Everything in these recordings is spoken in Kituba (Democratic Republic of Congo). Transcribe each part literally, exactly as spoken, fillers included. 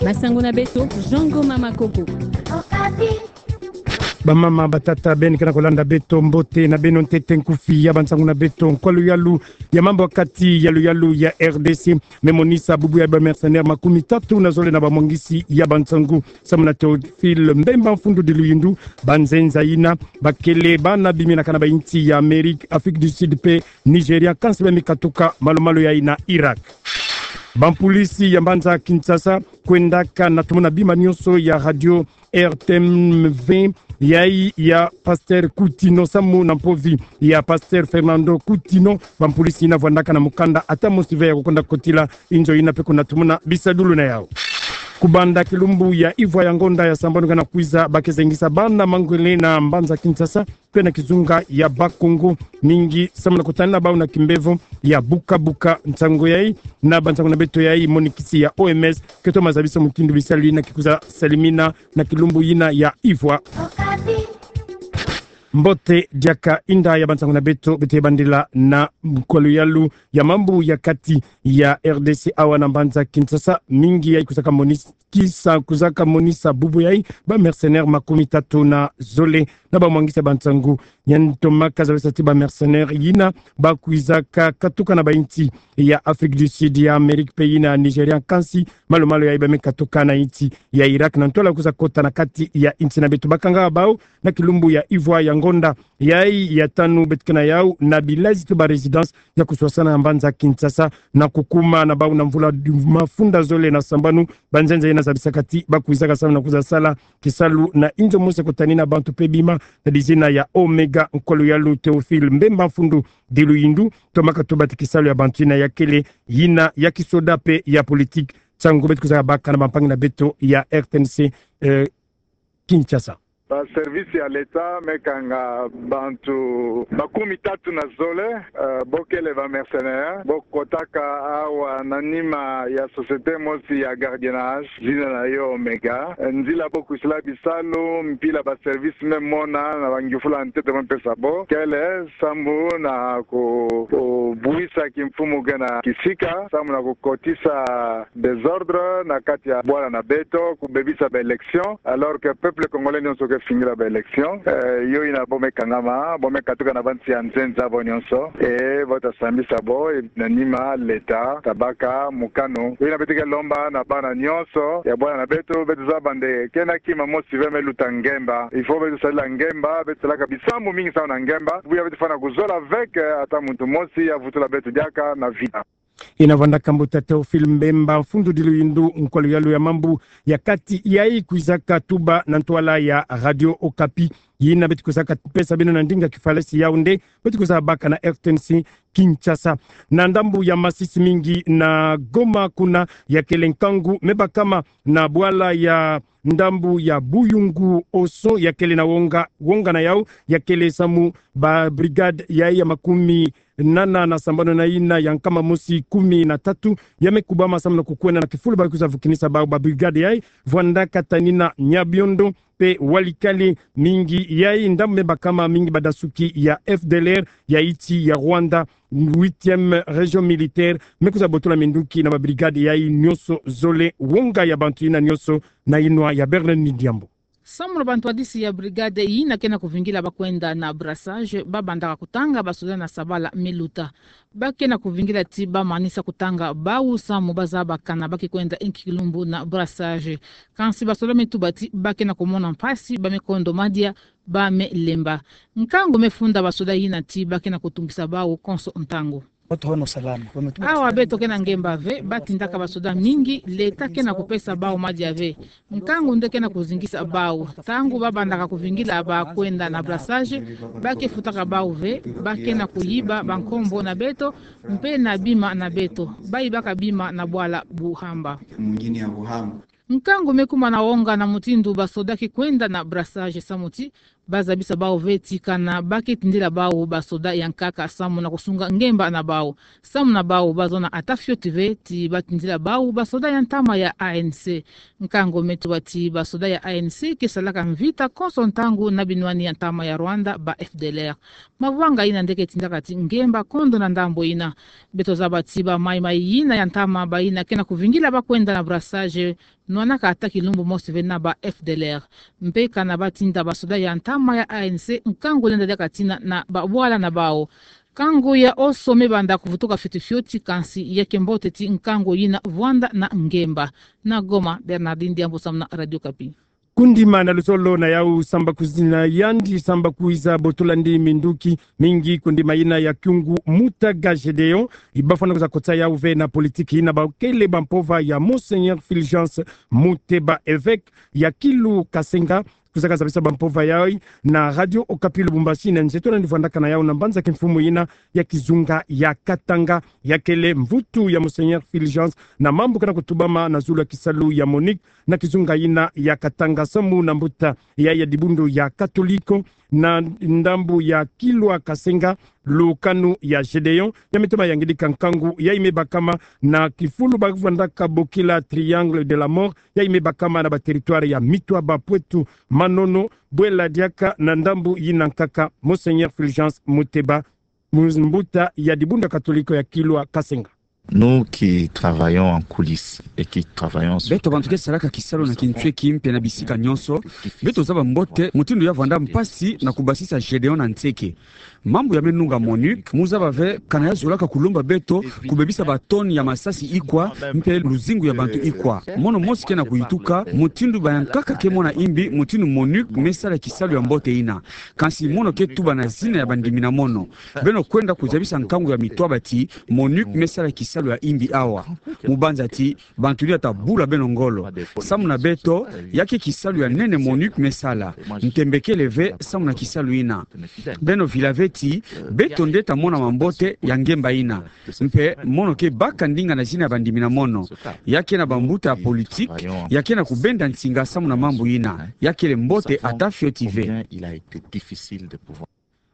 Masangu na beto, Jean Ngoma Makobo. Bamama, batata, beno ke na kolanda beto, mbote na beno. Ntete nkufi ya bansangu na beto, nkwa luyalu ya mambu ya kati ya luyalu ya R D C me monisa bubu ya ba mercenaires makumi tatu na zole na bamwangisi ya bansangu. Samu na Théophile Mbemba Mfundu Diluyindu, banzenza yina bakele bana bimina kana ba insi ya Amérique, Afrique du Sud pe Nigeria, kansi bamikatuka malu-malu yayi na Irak. Bampolisi ya mbanza Kinshasa kwendaka na tumona bima nyonso ya radio R T M V yayi ya Pasteur Coutinho samu na mpovi ya Pasteur Fernando Coutinho. Bampolisi yina vwandaka na mukanda ata mosi ve ya kukonda kotila inzo yina pe kuna tumona bisadulu na yau. Kubanda kilumbu ya ivwa ya ngonda ya sambanu ke na kwiza, ba ke zengisa bana mangwele na mbanza Kinshasa pe na kizunga ya Bakongo, mingi samu na kutanina bau na kimbevo ya buka-buka. Nsangu yayi na bansangu na beto yayi, monikisi ya O M S ke toma zabisa mutindu bisalu yina ke kwiza salimina na kilumbu yina ya ivwa. Mbote diaka, inda ya bansangu na beto, beto ye bandila na nkwa luyalu ya mambu ya kati ya R D C awa na mbanza Kinshasa, mingi yayi kwizaka monikisa, kwizaka monisa bubu yayi ba mercenaires makumi tatu na zole na bamwangisi ya bansangu. Yandi tomaka zabisa ti ba mercenaires yina bakwizaka katuka na ba insi ya Afrique du Sud, ya Amérique pe yina Nigeria, kansi malu-malu yayi bamikatuka na insi ya Irak na ntwala kwiza kota na kati ya insi na beto. Bakanga bau na kilumbu ya ivwa ya ngonda yayi ya tanu, beto ke na yau na bilazi to ba résidence ya kuswasana ya mbanza Kinshasa, na kukuma na bau na mvula mafunda zole na sambanu. Banzenza yina zabisaka ti bakwizaka samu na kwiza sala kisalu na inzo mosi kutanina bantu pe bima, na dizina ya Omega. Nkwa luyalu Théophile Mbemba Mfundu Diluyindu tomaka tuba ti kisalu ya bantu yina ya kele yina ya kisoda pe ya politique. Nsangu beto kwizaka baka na bampangi na beto ya R T N C, eh, Kinshasa. Ba service ya l'État me kanga bantu makumi tatu na zole, eh, bo kele ba mercenaires, bo kotaka awa na nima ya société mosi ya gardiennage, zina na yo Omega. Eh, nzila bo kwisila bisalu, mpila ba service me mona na ba ngiufula ntete me pesa bo, kele samu na ku, kubuisa kimfumu ke na kisika, samu na kukotisa désordre na kati ya bwala na beto, kubebisa ba élections, alors que peuple congolais nyonso ke fingila ba élections. Eh, yo yina bo me kangama, bo me katuka na bansi ya nzenza bo nyonso. Eh, bo ta sambisa bo, eh, na nima l'État ta baka mokano. Yo yina beto ke lomba na bana nyonso ya bwala na beto, beto zaba nde ke na kima mosi ve me luta ngemba. Il faut beto sadila ngemba, beto salaka bisambu mingi samu na ngemba. Buya beto fwana kuzola ve ke ata muntu mosi ya vutula beto diaka na vita. Yina vwandaka mbuta Théophile Mbemba Mfundu Diluyindu, nkwa luyalu ya mambu ya kati yayi kwizaka tuba na ntwala ya Radio Okapi. Yina beto kwizaka pesa beno na ndinga kifalesi yau nde beto kwiza baka na R T N C Kinshasa. Na ndambu ya Masisi mingi na Goma kuna, ya kele nkangu me bakama na bwala ya ndambu ya Buyungu Oso ya kele na wonga, wonga na yau ya kele samu ba brigade yayi ya makumi nana na sambanu na yina ya nkama mosi kumi na tatu ya me kubama samu na kukwenda na kifulu ba kwiza vukinisa bau. Ba brigade yayi vwandaka tanina Nyabiondo pe Walikale, mingi yayi ndambu me bakama mingi badasuki ya F D L R ya insi ya Rwanda, huitième région militaire, me kwiza botola minduki na ba brigade yayi nyonso zole. Wonga ya bantu yina nyonso na yinwa ya Bernard Nidiambo. Samu na bantwadisi ya brigade yina ke na kuvingila ba kwenda na brassage, ba bandaka kutanga basoda na sabala me luta. Ba ke na kuvingila ti ba manisa kutanga bau samu ba zaba kana ba ke kwenda inki kilumbu na brassage. Kansi basoda me tuba ti ba ke na kumona mpasi, ba me kondo madia, ba me lemba. Nkangu me funda basoda yina ti ba ke na kutungisa bau konso ntangu. Awa beto ke na ngemba ve, ba tindaka basoda mingi, l'État ke na kupesa bau madia ve. Nkangu nde ke na kuzingisa bau. Ntangu ba bandaka kuvingila ba kwenda na brassage, ba ke futaka bau ve, ba ke na kuyiba bankombo na beto, mpe na bima na beto. Ba yibaka bima na bwala Buhamba. Nkangu me kuma na wonga na mutindu basoda ke kwenda na brassage samu ti ba zabisa bau ve ti kana ba ke tindila bau basoda ya nkaka samu na kusunga ngemba na bau. Samu na bau ba zona ata fioti ve ti ba tindila bau basoda ya ntama ya A N C. Nkangu me tuba ti basoda ya A N C ke salaka mvita konso ntangu na binwani ya ntama ya Rwanda, ba F D L R. Mavanga yina nde ke tindaka ti ngemba kondo na ndambu yina. Beto zaba ti ba maimai yina ya ntama ba yina ke na kuvingila ba kwenda na brassage nwanaka ata kilumbu mosi ve na ba F D L R. Mpe kana batinda basoda ya ntama ya A N C nkangu lenda diaka tina na babwala na bawu. Nkangu ya oso me banda kuvutuka fioti fioti, kansi ya ke mbote ti nkangu yina vwanda na ngemba. Na Goma, Bernardine Diambu samu na Radio Okapi. Kundima na luzolo na yau samba kuzina yandi samba kwiza botolandi minduki mingi kundima yina ya kiungu Mutaga Gedeon, ibafwana kwiza kotsa yau ve na politiki yina bakele bampova ya Monseigneur Fulgence Muteba, evêque ya Kilu Kasenga, kwiza kazabisa bampova yai na Radio Okapi Lubumbashi na nzeto na nivwandaka na yau na mbanza kimfumu yina ya kizunga ya Katanga, ya kele mvutu ya Monseigneur Fulgence na mambu kana kutubama na zulu ya kisalu ya MONUC na kizunga yina ya Katanga samu na mbuta ya, ya dibundu ya Katoliko na ndambu ya Kilwa Kasenga, lukanu ya Gedeon ya me toma yangidika nkangu yai me bakama na kifulu bavwandaka bokila Triangle de la Mort, yai me bakama na ba territoire ya Mitwaba, Poitou, Manono, Bwela diaka na ndambu yina nkaka Monseigneur Fulgence Muteba, mbuta ya dibundu ya Katoliko ya Kilwa Kasenga. Nous qui travaillons en coulisses et qui travaillons sur... Beto bantu ke salaka kisalu na kintweki mpe na bisika nyonso, beto zaba mbote mutindu ya vwanda mpasi na kubasisa Gedeon na nseke. Mambu ya me nunga MONUC, mu zaba ve kana ya zolaka kulomba beto kubebisa ba tonnes ya masasi ikwa mpe luzingu ya bantu ikwa. Mono mosi ke na kuyituka mutindu bayankaka ke mona imbi mutindu MONUC me sala kisalu ya mbote yina. Kansi mono ke tuba na zina ya bandimi na mono. Beno kwenda kuzabisa nkangu ya Mitwaba ti MONUC me sala kisalu ya imbi awa. Mu banza ti bantu ni ata bula beno ngolo. Samu na beto, ya ke kisalu ya nene MONUC me sala. Ntembe kele ve samu na kisalu yina. Beno vila ve ti beto nde ta mona mambote ya ngemba yina. Mpe mono ke baka ndinga na zina ya bandimi na mono. Ya ke na bambuta ya politique, ya ke na kubenda nsinga samu na mambu yina. Ya kele mbote ata fioti ve.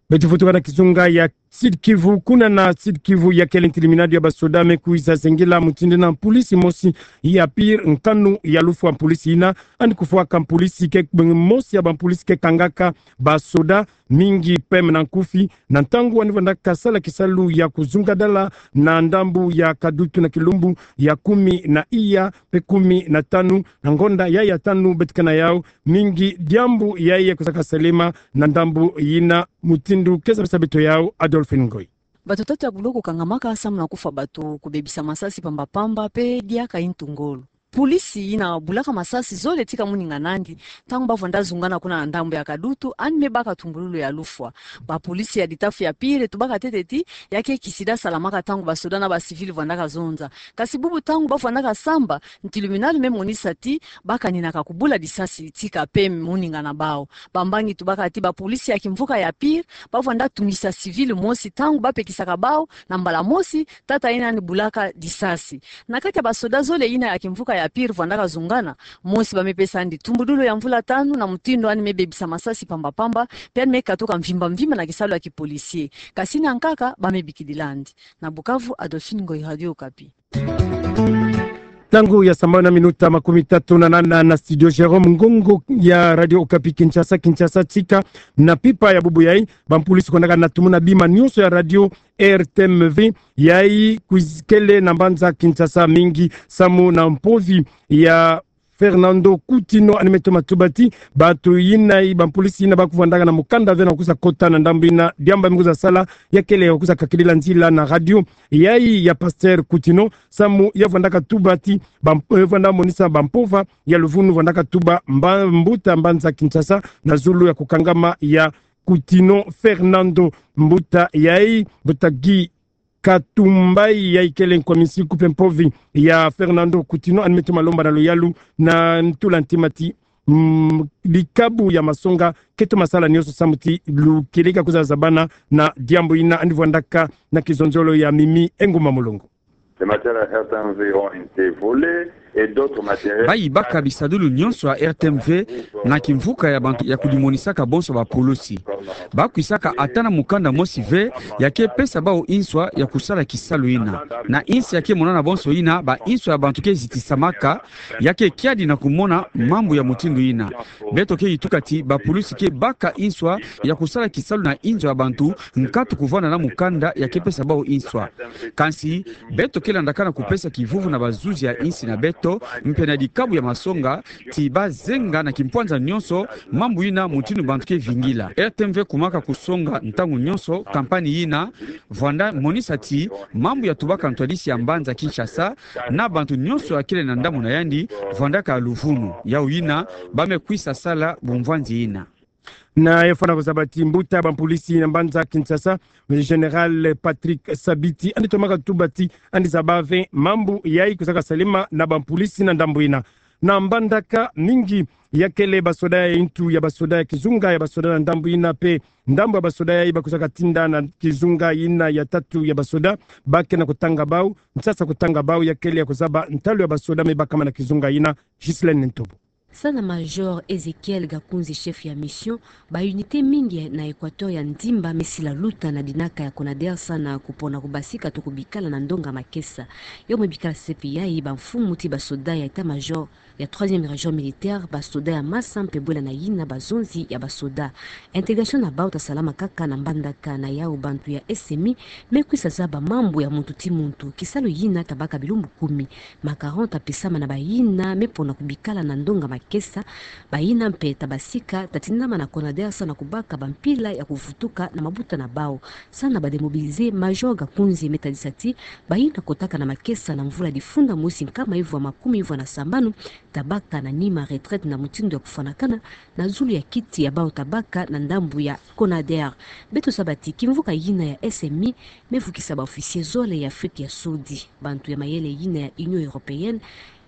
Beto vutuka na kizunga ya Sud-Kivu, kuna na Sud-Kivu ya kele ntiliminadu ya basoda me kwiza zengela mutindu yina mpulisi mosi ya Pire nkanu ya lufwa. Mpulisi yina, yandi kufwaka mpulisi ke, mosi ya bampulisi ke kangaka basoda mingi peme na nkufi, na ntangu yandi vwandaka sala kisalu ya kuzunga dala na ndambu ya Kadutu na kilumbu ya kumi na iya mpe kumi na tanu, na ngonda yai ya tanu beto ke na yau, mingi diambu yai ya kuzaka salema na ndambu yina. Mutindu ke zabisa beto yau Adolphine Ngoy. Bato tatu ya buloko kangamaka samu na kufwa bato, kubebisa masasi pamba pamba mpe diaka intu ngolo. Mpulisi yina bulaka masasi zole tika moninga nandi, ntangu bavwanda zungana kuna na ndambu ya Kadutu, yandi me baka tumbululu ya lufwa. Bampulisi ya litafu ya Pire tubaka ntete ti ya ke kisida salamaka ntangu basoda na bacivil vwandaka zonza. Kasi bubu ntangu bavwandaka samba, ntiliminadu me monisa ti bakaninaka kubula lisasi tika peme moninga na bawu. Bambangi tubaka ti bampulisi ya kimvuka ya Pire bavwanda tungisa civil mosi ntangu bapekisaka bawu na mbala mosi tata yina yandi bulaka lisasi. Na kati ya basoda zole yina ya kimvuka ya Pire vwandaka zungana, mosi ba me pesa yandi tumbululu ya mvula tanu na mutindu yandi me bebisa masasi pamba pamba, mpe yandi me katuka mvimba mvimba na kisalu ya kipolisier. Kasi na nkaka ba me bikidila yandi. Na Bukavu, Adolphine Ngoy, Radio Okapi. Ntangu ya sambanu na minuta makumi tatu na nana na studio Jérôme Ngongo ya Radio Okapi Kinshasa. Kinshasa, tika na mpimpa ya bubu yai, bampulisi kwendaka na tumuna bima nyonso ya radio R T M V, yai kwizi kele na mbanza Kinshasa mingi samu na mpovi ya Fernando Coutinho, yandi me toma tuba ti bato yina, bampulisi yina ba kuvwandaka na mukanda ve na kwiza kota na ndambu yina, diambu ba me kwiza sala ya kele ya kwiza kakidila nzila na radio yai ya Pasteur Coutinho, samu ya vwandaka tuba ti bam-, eh, vwanda monisa bampova ya luvunu, vwandaka tuba mba-, mbuta mbanza Kinshasa na zulu ya kukangama ya Coutinho Fernando. Mbuta yai, mbuta Guy Katumbai, yai kele nkominsi kupe mpovi ya Fernando Coutinho, yandi me toma lomba na luyalu na ntula ntima ti, mm, likabu ya masonga ke toma sala nyonso samu ti lukeleka kwiza zabana na diambu yina. Yandi vwandaka na kizonzolo ya Mimi Enguma Mulongo. Les matériels R T M V ont été volés et d'autres matériels. Ba yibaka bisadulu nyonso ya R T M V na kimvuka ya bantu ya kudimonisaka bonso bapulusi. Ba kwisaka ata na mukanda mosi ve ya ke pesa bawu inswa ya kusala kisalu yina. Na insi ya ke monana bonso yina, ba inswa ya bantu ke zitisamaka, ya ke kiadi na kumona mambu ya mutindu yina. Beto ke yituka ti bapulusi ke baka inswa ya kusala kisalu na inzo ya bantu, nkatu kuvwanda na mukanda ya ke pesa bawu inswa. Kansi, beto ke landaka na kupesa kivuvu na bazuzi ya insi na beto, mpe na dikabu ya masonga, ti bazenga na kimpwanza nyonso mambu yina mutindu bantu ke vingila. R T M V kumaka kusonga ntangu nyonso kampani yina, vwanda monisa ti mambu ya tubaka ntwadisi ya mbanza Kinshasa na bantu nyonso ya kele na ndambu na yandi vwandaka luvunu. Yau yina, ba me kwisa sala bumvwanzi yina. Na yo fwana kuzaba ti mbuta bampulisi na mbanza Kinshasa, Général Patrick Sabiti, yandi tomaka tuba ti yandi zaba ve mambu yayi kuzaka salema na bampulisi na ndambu yina. Na Mbandaka, mingi ya kele basoda ya ntu ya basoda ya kizunga ya basoda na ndambu yina mpe ndambu ya basoda yayi ba kuzaka tinda na kizunga yina ya tatu ya basoda, ba ke na kutanga bau, nsasa kutanga bau ya kele ya kuzaba ntalu ya basoda me bakama na kizunga yina. Ghislaine Ntobo. Sana Major Ezekiel Gakunzi, chef ya mission, ba unité mingi na Équateur ya ndimba me sila luta na dinaka ya Conader sana kupona kubasika to kubikala na ndonga makesa. Yo me bikala sepi yayi bamfumu ti basoda ya état-major ya troisième région militaire, basoda ya masa mpe bwela na yina bazonzi ya basoda. Intégration na bau ta salama kaka na Mbandaka. Na yau bantu ya S M I me kwisa zaba mambu ya muntu ti muntu. Kisalu yina ta baka bilumbu kumi. Macaron ta pesama na bayina me pona kubikala na ndonga makesa. Bayina mpe ta basika ta tindama na Conader sana kubaka bampila ya kuvutuka na mabuta na bau. Sana ba démobilisés, Major Gakunzi me tadisa ti bayina kotaka na makesa na mvula difunda mosi nkama ivwa makumi ivwa na sambanu ta baka na nima retraite na mutindu ya kufwanakana na zulu ya kiti ya bau ta baka na ndambu ya Conader. Beto zaba ti kimvuka yina ya S M I me vukisa ba officiers zole ya Afrique ya Sudi. Bantu ya mayele yina ya Union Européenne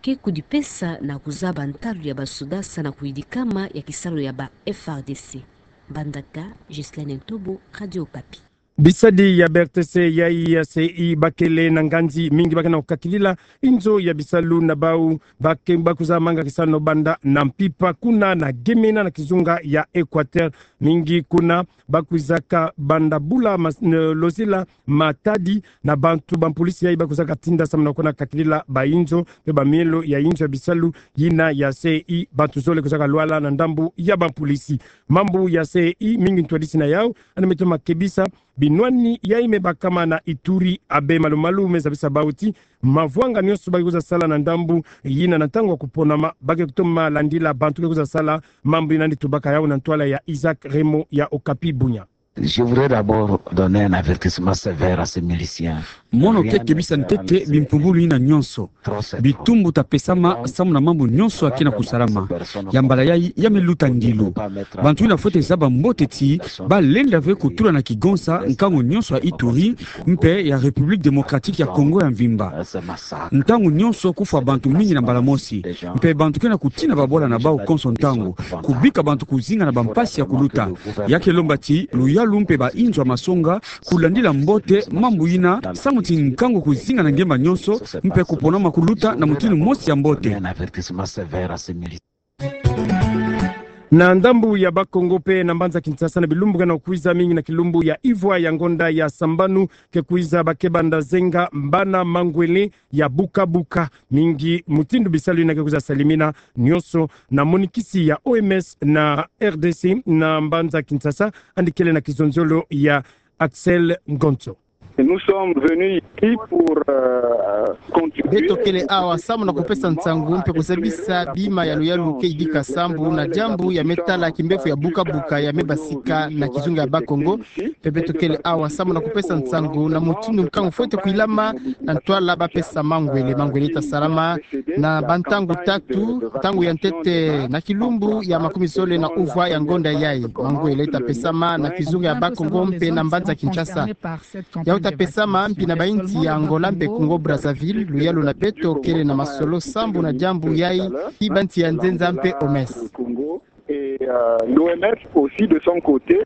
ke kudipesa na kuzaba ntalu ya basoda sana kuyidikama ya kisalu ya ba F R D C. Mbandaka, Ghislaine Ntobo, Radio Okapi. Bisadi ya B R T C yayi ya C I ba kele na nganzi mingi ba ke na kukakilila inzo ya bisalu na bau ba ke ba kuzamanga kisalu banda na Mpimpa kuna na Gemena na kizunga ya Équateur. Mingi kuna ba kwizaka banda bula mas-, n-, lozila matadi na bantu bampulisi yayi ba kwizaka tinda samu na kukana kakilila bainzo mpe bamielo ya inzo ya bisalu yina ya C I, bantu zole kwizaka lwala na ndambu ya bampulisi. Mambu ya C I mingi ntwadisi na yau, yandi me toma kebisa binwani yayi me bakama na Ituri. Abbé Malumalu me zabisa bau ti mavwanga nyonso ba ke kwiza sala na ndambu yina na ntangu ya kuponama, ba ke kutoma landila bantu ke kwiza sala. Mambu yina yandi tubaka yau na ntwala ya Isaac Remo ya Okapi Bunia. Je voudrais d'abord donner un avertissement sévère à ces miliciens. Mono ke kebisa ntete bimpumbulu yina nyonso. Bitumbu ta pesama samu na mambu nyonso ya ke na kusalama. Ya mbala yayi ya me luta ndilu. Bantu yina fwete zaba mbote ti ba lenda ve kutula na kigonsa nkangu nyonso ya Ituri mpe ya République Démocratique ya Congo ya mvimba. Ntangu nyonso kufwa bantu mingi na mbala mosi. Mpe bantu ke na kutina babwala na bau konso ntangu, kubika bantu kuzinga na bampasi ya kuluta. Ya ke lomba ti luyalu mpe bainzo ya masonga kulandila mbote mambu yina samu ti nkangu kuzinga na ngemba nyonso mpe kuponama kuluta na mutindu mosi ya mbote. Na ndambu ya Bas-Congo mpe na mbanza Kinshasa, na bilumbu ke na kwiza, mingi na kilumbu ya ivwa ya ngonda ya sambanu ke kwiza, ba ke banda zenga bana mangwele ya buka-buka. Mingi mutindu bisalu yina ke kwiza salemina nyonso na monikisi ya O M S na R D C na mbanza Kinshasa, yandi kele na kizonzolo ya Axel Ngonzo. Nous sommes venus ici pour, euh, contribuer. Beto kele awa samu na kupesa nsangu mpe kuzabisa bima ya luyalu ke yidika sambu na diambu ya me tala kimbevo ya buka-buka ya me basika na kizunga ya Bas-Congo. Mpe beto kele awa samu na kupesa nsangu na mutindu nkangu fwete kwilama na ntwala ba pesa mangwele. Mangwele ta salama na bantangu tatu, ntangu ya ntete na kilumbu ya makumi zole na uvwa ya ngonda yayi. Mangwele ta pesama na kizunga ya Bas-Congo mpe na mbanza Kinshasa. Yau ta pesama mpi na bainsi ya Angola mpe Congo Brazzaville. Luyalu na beto kele na masolo sambu na diambu yayi, mpi bansi ya nzenza mpe O M S. Et, euh, l'O M S aussi de son côté.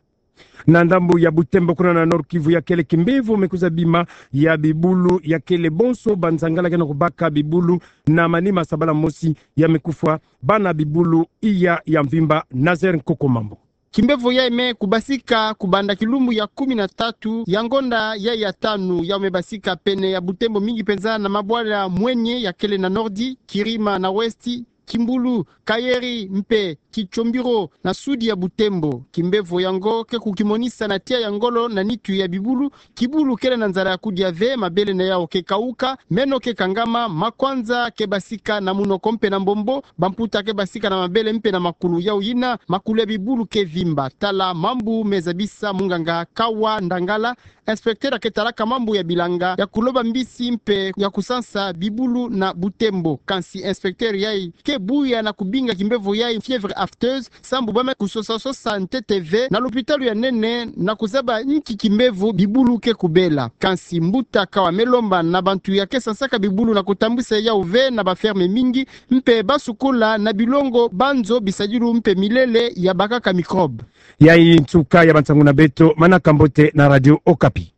Na ndambu ya Butembo kuna na Nord-Kivu, ya kele kimbevo me kwiza bima ya bibulu, ya kele bonso banzangala ke na kubaka bibulu na manima sabala mosi, ya me kufwa bana bibulu iya ya mvimba. Nazaire Nkoko Mambu. Kimbevo yayi me kubasika kubanda kilumbu ya kumi na tatu ya ngonda yayi ya tanu, yau me basika pene ya Butembo, mingi penza na mabwala mwenye ya kele na Nordi, Kirima na Westi, Kimbulu, Kayeri mpe Kitsombiro na sudi ya Butembo. Kimbevo yango ke kukimonisa na tia ya ngolo na nitu ya bibulu. Kibulu kele na nzala ya kudia ve, mabele na yau ke kauka, meno ke kangama, makwanza ke basika na munoko mpe na mbombo, bamputa ke basika na mabele mpe na makulu. Yau yina, makulu ya bibulu ke vimba. Tala mambu me zabisa munganga Kawa Ndangala, inspecteur ke talaka mambu ya bilanga ya kuloba mbisi mpe ya kusansa bibulu na Butembo. Kansi inspecteur yayi ke buya na kubinga kimbevo yayi fièvre aphteuse, sambu ba me kusosa-sosa ntete ve na lopitalo ya nene na kuzaba nki kimbevo bibulu ke kubela. Kansi mbuta Kawa me lomba na bantu ya ke sansaka bibulu na kutambwisa yau ve na ba ferme mingi, mpe ba sukula na bilongo banzo bisadilu mpe milele ya bakaka microbe. Yayi nsuka ya bansangu na beto, manaka mbote na Radio Okapi.